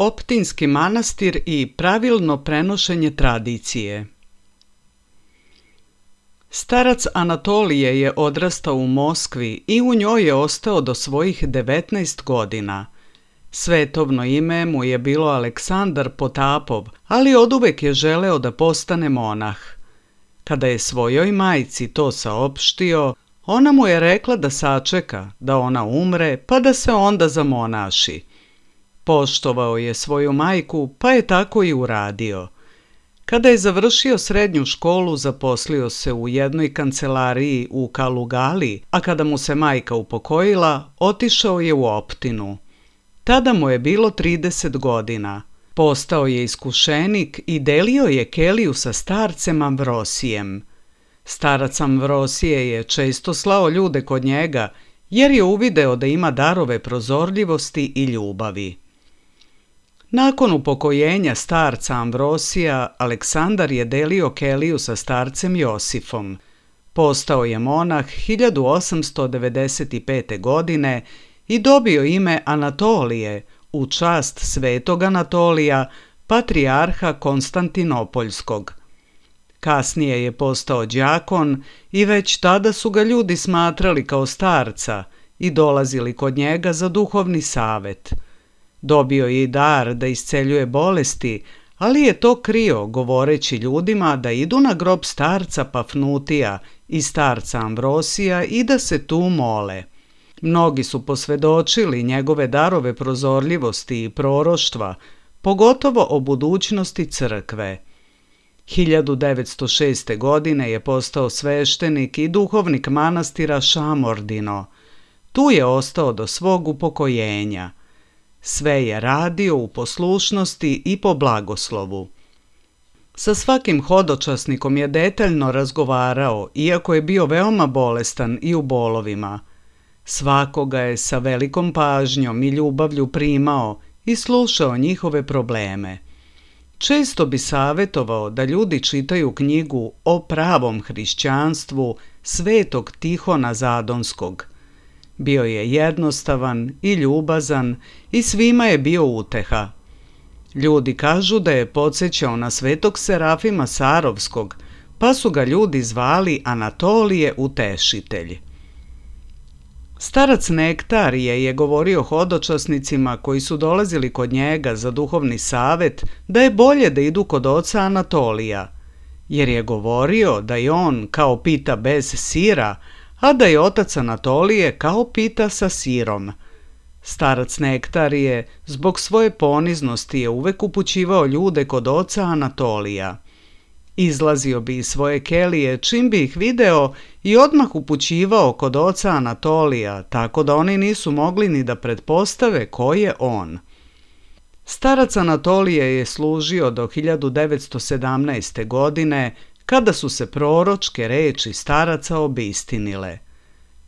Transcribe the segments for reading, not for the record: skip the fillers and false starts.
Optinski manastir i pravilno prenošenje tradicije. Starac Anatolije je odrastao u Moskvi i u njoj je ostao do svojih 19 godina. Svetovno ime mu je bilo Aleksandar Potapov, ali oduvek je želeo da postane monah. Kada je svojoj majci to saopštio, ona mu je rekla da sačeka, da ona umre, pa da se onda zamonaši. Poštovao je svoju majku, pa je tako i uradio. Kada je završio srednju školu, zaposlio se u jednoj kancelariji u Kalugali, a kada mu se majka upokojila, otišao je u Optinu. Tada mu je bilo 30 godina. Postao je iskušenik i delio je keliju sa starcem Amvrosijem. Starac Amvrosije je često slao ljude kod njega, jer je uvideo da ima darove prozorljivosti i ljubavi. Nakon upokojenja starca Amvrosija, Aleksandar je delio keliju sa starcem Josifom. Postao je monah 1895. godine i dobio ime Anatolije u čast svetog Anatolija, patrijarha Konstantinopoljskog. Kasnije je postao đakon i već tada su ga ljudi smatrali kao starca i dolazili kod njega za duhovni savet. Dobio je i dar da isceljuje bolesti, ali je to krio govoreći ljudima da idu na grob starca Pafnutija i starca Amvrosija i da se tu mole. Mnogi su posvedočili njegove darove prozorljivosti i proroštva, pogotovo o budućnosti crkve. 1906. godine je postao sveštenik i duhovnik manastira Šamordino. Tu je ostao do svog upokojenja. Sve je radio u poslušnosti i po blagoslovu. Sa svakim hodočasnikom je detaljno razgovarao, iako je bio veoma bolestan i u bolovima. Svakoga je sa velikom pažnjom i ljubavlju primao i slušao njihove probleme. Često bi savetovao da ljudi čitaju knjigu o pravom hrišćanstvu svetog Tihona Zadonskog. Bio je jednostavan i ljubazan i svima je bio uteha. Ljudi kažu da je podsjećao na svetog Serafima Sarovskog, pa su ga ljudi zvali Anatolije Utešitelj. Starac Nektarije je govorio hodočasnicima koji su dolazili kod njega za duhovni savet da je bolje da idu kod oca Anatolija, jer je govorio da je on kao pita bez sira, a da je otac Anatolije kao pita sa sirom. Starac Nektarije zbog svoje poniznosti je uvek upućivao ljude kod oca Anatolija. Izlazio bi iz svoje kelije čim bi ih video i odmah upućivao kod oca Anatolija, tako da oni nisu mogli ni da pretpostave ko je on. Starac Anatolije je služio do 1917. godine, kada su se proročke reči staraca obistinile.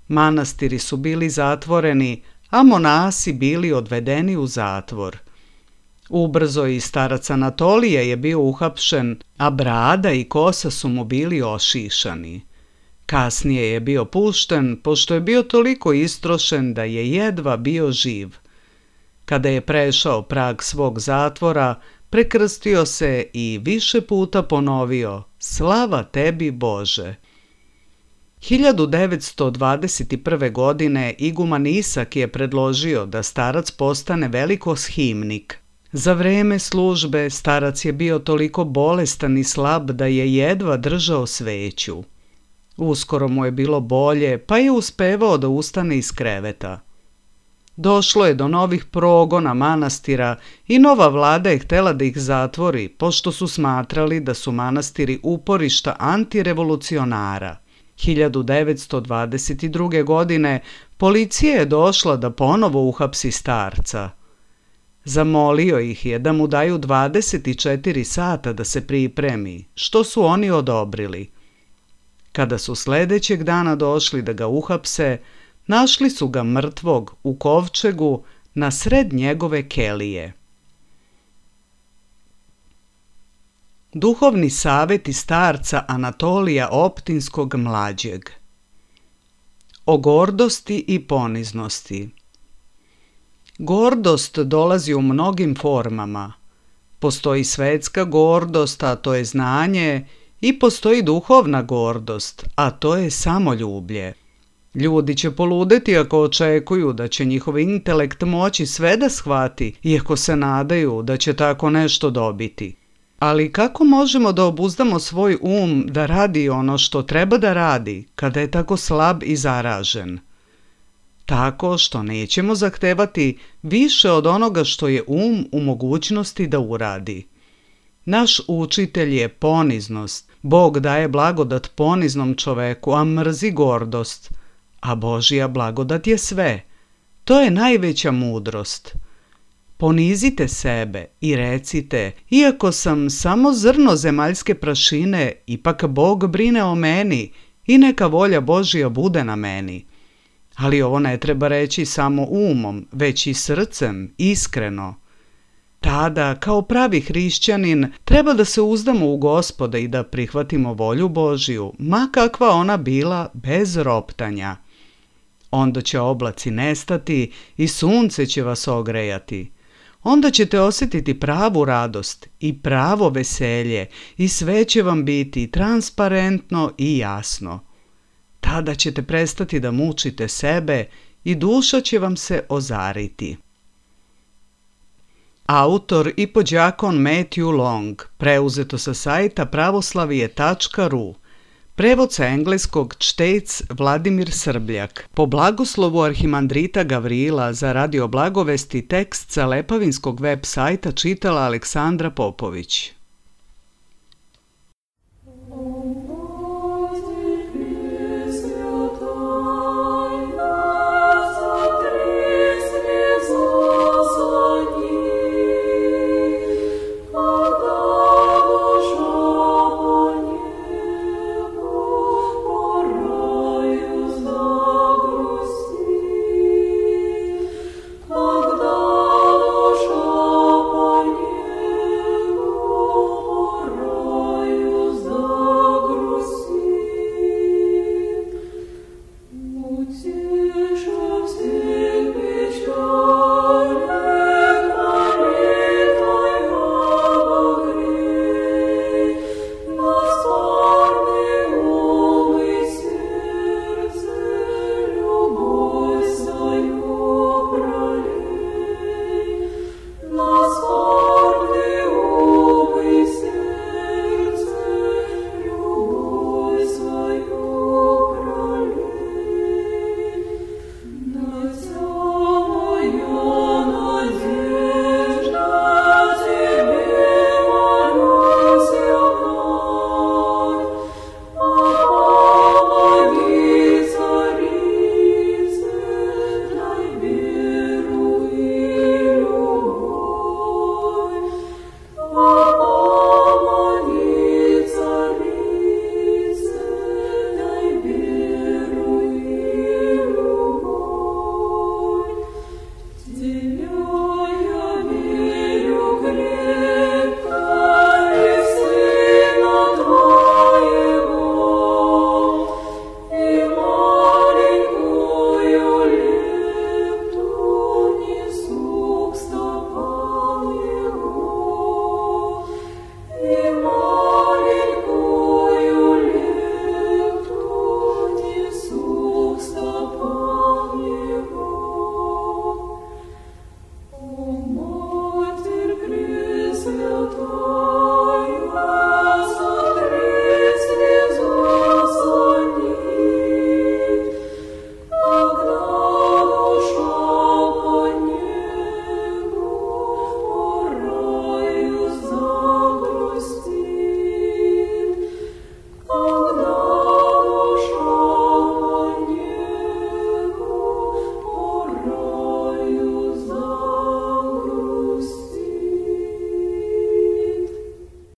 Manastiri su bili zatvoreni, a monasi bili odvedeni u zatvor. Ubrzo i starac Anatolije je bio uhapšen, a brada i kosa su mu bili ošišani. Kasnije je bio pušten, pošto je bio toliko istrošen da je jedva bio živ. Kada je prešao prag svog zatvora, prekrstio se i više puta ponovio: Slava tebi, Bože! 1921. godine iguman Isak je predložio da starac postane velikoshimnik. Za vreme službe starac je bio toliko bolestan i slab da je jedva držao sveću. Uskoro mu je bilo bolje, pa je uspevao da ustane iz kreveta. Došlo je do novih progona manastira i nova vlada je htela da ih zatvori, pošto su smatrali da su manastiri uporišta antirevolucionara. 1922. godine policija je došla da ponovo uhapsi starca. Zamolio ih je da mu daju 24 sata da se pripremi, što su oni odobrili. Kada su sledećeg dana došli da ga uhapse, našli su ga mrtvog u kovčegu na sred njegove kelije. Duhovni saveti starca Anatolija Optinskog mlađeg. O gordosti i poniznosti. Gordost dolazi u mnogim formama. Postoji svetska gordost, a to je znanje, i postoji duhovna gordost, a to je samoljublje. Ljudi će poludeti ako očekuju da će njihov intelekt moći sve da shvati, iako se nadaju da će tako nešto dobiti. Ali kako možemo da obuzdamo svoj da radi ono što treba da radi, kada je tako slab i zaražen? Tako što nećemo zahtevati više od onoga što je u mogućnosti da uradi. Naš učitelj je poniznost. Bog daje blagodat poniznom čoveku, a mrzi gordost. A Božja blagodat je sve. To je najveća mudrost. Ponizite sebe i recite, iako sam samo zrno zemaljske prašine, ipak Bog brine o meni i neka volja Božja bude na meni. Ali ovo ne treba reći samo umom, već i srcem, iskreno. Tada, kao pravi hrišćanin, treba da se uzdamo u Gospoda i da prihvatimo volju Božju, ma kakva ona bila, bez roptanja. Onda će oblaci nestati i sunce će vas ogrejati. Onda ćete osjetiti pravu radost i pravo veselje i sve će vam biti transparentno i jasno. Tada ćete prestati da mučite sebe i duša će vam se ozariti. Autor i podjakon Matthew Long, preuzeto sa sajta pravoslavije.ru. Prevod sa engleskog čtec Vladimir Srbljak. Po blagoslovu arhimandrita Gavrila za Radio Blagovesti tekst sa lepavinskog web sajta čitala Aleksandra Popović.